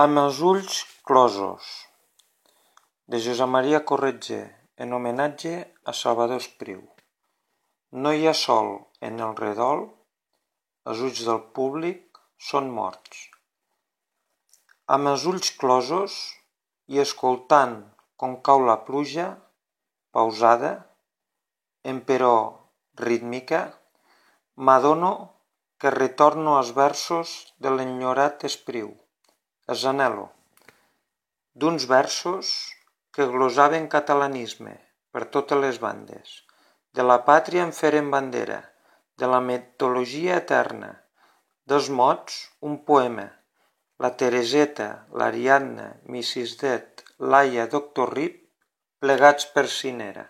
Amb els ulls closos, de Josep Maria Corretger, en homenatge a Salvador Espriu. No hi ha sol en el redol, els ulls del públic són morts. Amb els ulls closos i escoltant com cau la pluja, pausada, emperò rítmica, m'adono que retorno als versos de l'enyorat Espriu, els anhelo, d'uns versos que glosaven catalanisme per totes les bandes, de la pàtria en feren bandera, de la mitologia eterna, dels mots un poema, la Tereseta, l'Ariadna, Mrs. Det, Laia, Doctor Rip, plegats per Cinera.